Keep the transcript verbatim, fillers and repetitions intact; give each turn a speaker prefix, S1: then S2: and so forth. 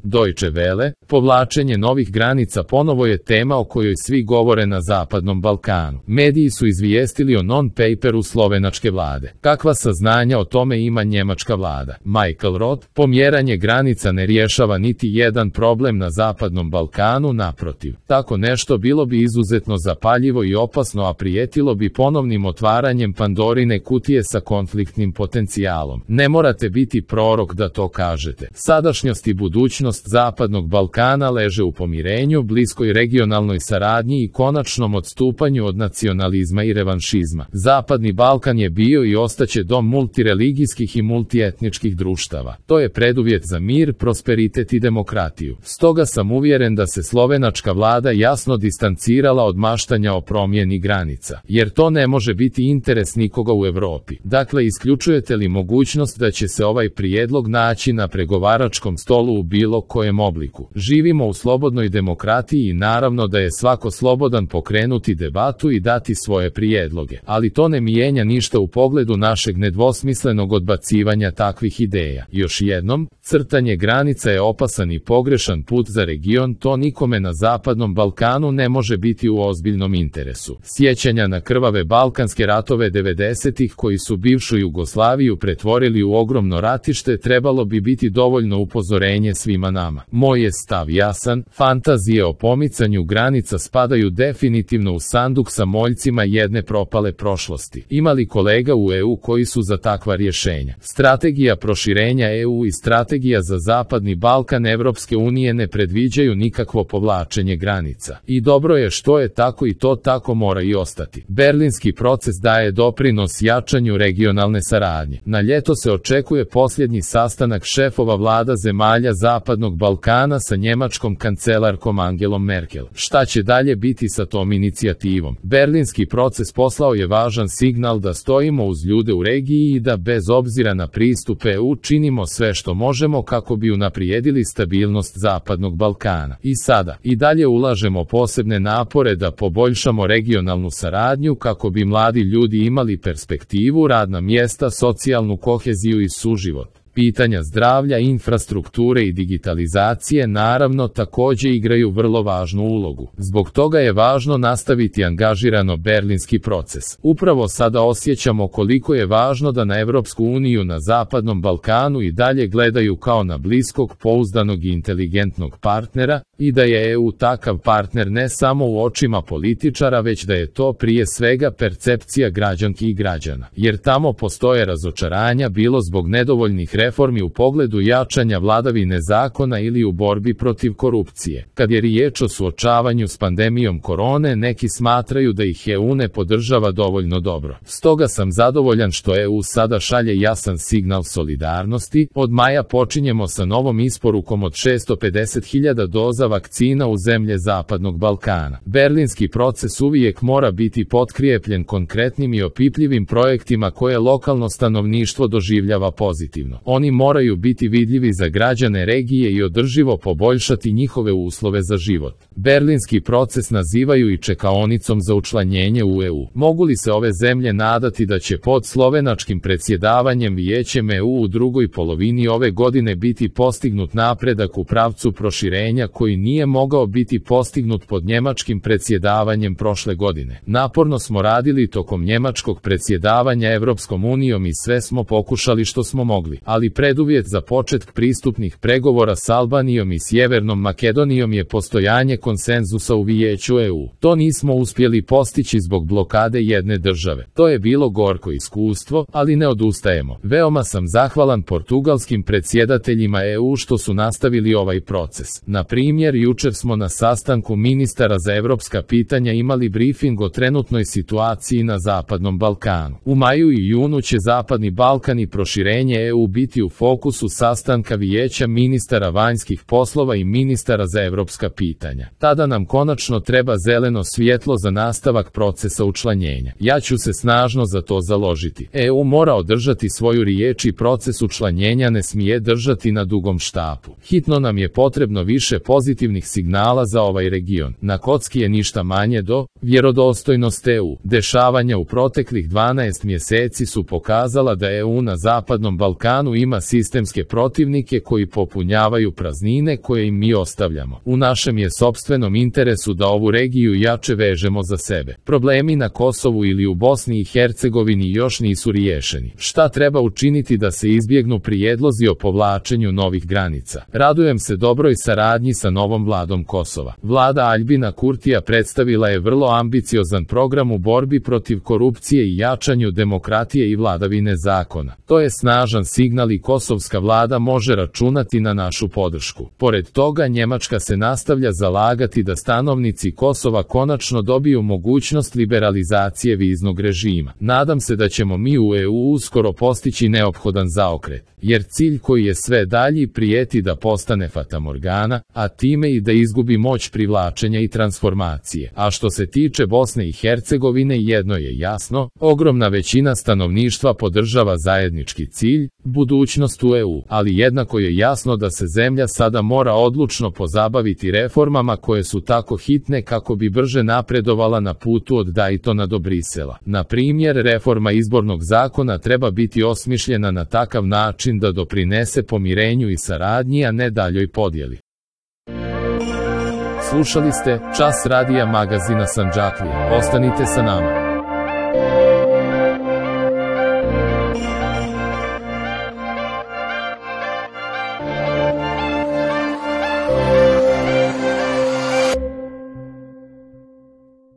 S1: Deutsche Welle, povlačenje novih granica ponovo je tema o kojoj svi govore na Zapadnom Balkanu. Mediji su izvijestili o non-paperu slovenačke vlade. Kakva saznanja o tome ima njemačka vlada? Michael Roth, pomjeranje granica ne rješava niti jedan problem na Zapadnom Balkanu, naprotiv. Tako nešto bilo bi izuzetno zapaljivo i opasno, a prijetilo bi ponovnim otvaranjem Pandorine kutije sa konfliktnim potencijalom. Ne morate biti prorok da to kažete. Sadašnjost i budućnost Zapadnog Balkana leže u pomirenju, bliskoj regionalnoj saradnji i konačnom odstupanju od nacionalizma i revanšizma. Zapadni Balkan je bio i ostaće dom multireligijskih i multietničkih društava. To je preduvjet za mir, prosperitet i demokratiju. Stoga sam uvjeren da se slovenačka vlada jasno distancirala od maštanja o promjeni granica, jer to ne može biti interes nikoga u Europi. Dakle, isključujete li mogućnost da će se ovaj prijedlog naći na pregovaračkom stolu u bilo kojem obliku? Živimo u slobodnoj demokratiji i naravno da je svako slobodan pokrenuti debatu i dati svoje prijedloge, ali to ne mijenja ništa u pogledu našeg nedvosmislenog odbacivanja takvih ideja. Još jednom, crtanje granica je opasan i pogrešan put za region, to nikome na Zapadnom Balkanu ne može biti u ozbiljnom interesu. Sjećanja na krvave balkanske ratove devedesetih koji su bivšu Jugoslaviju pretvorili u ogromno ratište trebalo bi biti dovoljno upozorenje svima nama. Moj je stav jasan, fantazije o pomicanju granica spadaju definitivno u sanduk sa moljcima jedne propale prošlosti. Ima li kolega u E U koji su za takva rješenja? Strategija proširenja E U i strategija za Zapadni Balkan Evropske unije ne predviđaju nikakvo povlačenje granica. I dobro je što je tako i to tako mora i ostati. Berlinski proces daje doprinos jačanju regionalne saradnje. Na ljeto se očekuje posljednji sastanak šefova vlada zemalja Zapadnog Balkana sa njemačkom kancelarkom Angelom Merkel. Šta će dalje biti sa tom inicijativom? Berlinski proces poslao je važan signal da stojimo uz ljude u regiji i da bez obzira na pristup E U činimo sve što možemo kako bi unaprijedili stabilnost Zapadnog Balkana. I sada, i dalje ulažemo posebne napore da poboljšamo regionalnu saradnju kako bi mladi ljudi imali perspektivu, radna mjesta, socijalnu koheziju i suživot. Pitanja zdravlja, infrastrukture i digitalizacije naravno također igraju vrlo važnu ulogu. Zbog toga je važno nastaviti angažirano berlinski proces. Upravo sada osjećamo koliko je važno da na Europsku uniju na Zapadnom Balkanu i dalje gledaju kao na bliskog, pouzdanog i inteligentnog partnera, i da je E U takav partner ne samo u očima političara, već da je to prije svega percepcija građanki i građana. Jer tamo postoje razočaranja bilo zbog nedovoljnih reformi u pogledu jačanja vladavine zakona ili u borbi protiv korupcije. Kad je riječ o suočavanju s pandemijom korone, neki smatraju da ih E U ne podržava dovoljno dobro. Stoga sam zadovoljan što E U sada šalje jasan signal solidarnosti. Od maja počinjemo sa novom isporukom od šesto pedeset hiljada doza vakcina u zemlje Zapadnog Balkana. Berlinski proces uvijek mora biti potkrijepljen konkretnim i opipljivim projektima koje lokalno stanovništvo doživljava pozitivno. Oni moraju biti vidljivi za građane regije i održivo poboljšati njihove uslove za život. Berlinski proces nazivaju i čekaonicom za učlanjenje u E U. Mogu li se ove zemlje nadati da će pod slovenačkim predsjedavanjem Vijećem E U u drugoj polovini ove godine biti postignut napredak u pravcu proširenja koji nije mogao biti postignut pod njemačkim predsjedavanjem prošle godine? Naporno smo radili tokom njemačkog predsjedavanja Europskom unijom i sve smo pokušali što smo mogli, ali preduvjet za početak pristupnih pregovora s Albanijom i Sjevernom Makedonijom je postojanje konsenzusa u Vijeću E U. To nismo uspjeli postići zbog blokade jedne države. To je bilo gorko iskustvo, ali ne odustajemo. Veoma sam zahvalan portugalskim predsjedateljima E U što su nastavili ovaj proces. Na primjer, jučer smo na sastanku ministara za evropska pitanja imali briefing o trenutnoj situaciji na Zapadnom Balkanu. U maju i junu će Zapadni Balkan i proširenje E U biti u fokusu sastanka Vijeća ministara vanjskih poslova i ministara za evropska pitanja. Tada nam konačno treba zeleno svjetlo za nastavak procesa učlanjenja. Ja ću se snažno za to založiti. E U mora održati svoju riječ i proces učlanjenja ne smije držati na dugom štapu. Hitno nam je potrebno više pozitivnih signala za ovaj region. Na kocki je ništa manje do vjerodostojnost E U. Dešavanja u proteklih dvanaest mjeseci su pokazala da E U na Zapadnom Balkanu ima sistemske protivnike koji popunjavaju praznine koje im mi ostavljamo. U našem je sopstvenom interesu da ovu regiju jače vežemo za sebe. Problemi na Kosovu ili u Bosni i Hercegovini još nisu riješeni. Šta treba učiniti da se izbjegnu prijedlozi o povlačenju novih granica? Radujem se dobroj saradnji sa novom vladom Kosova. Vlada Aljbina Kurtija predstavila je vrlo ambiciozan program u borbi protiv korupcije i jačanju demokratije i vladavine zakona. To je snažan signal i kosovska vlada može računati na našu podršku. Pored toga, Njemačka se nastavlja zalagati da stanovnici Kosova konačno dobiju mogućnost liberalizacije viznog režima. Nadam se da ćemo mi u E U uskoro postići neophodan zaokret, jer cilj koji je sve dalji prijeti da postane fatamorgana, a time i da izgubi moć privlačenja i transformacije. A što se tiče Bosne i Hercegovine, jedno je jasno, ogromna većina stanovništva podržava zajednički cilj, budućnost u E U, ali jednako je jasno da se zemlja sada mora odlučno pozabaviti reformama koje su tako hitne kako bi brže napredovala na putu od Daytona do Brisela. Na primjer, reforma izbornog zakona treba biti osmišljena na takav način da doprinese pomirenju i saradnji, a ne daljoj podjeli. Slušali ste Čas radija magazina Sandžaklija. Ostanite sa nama.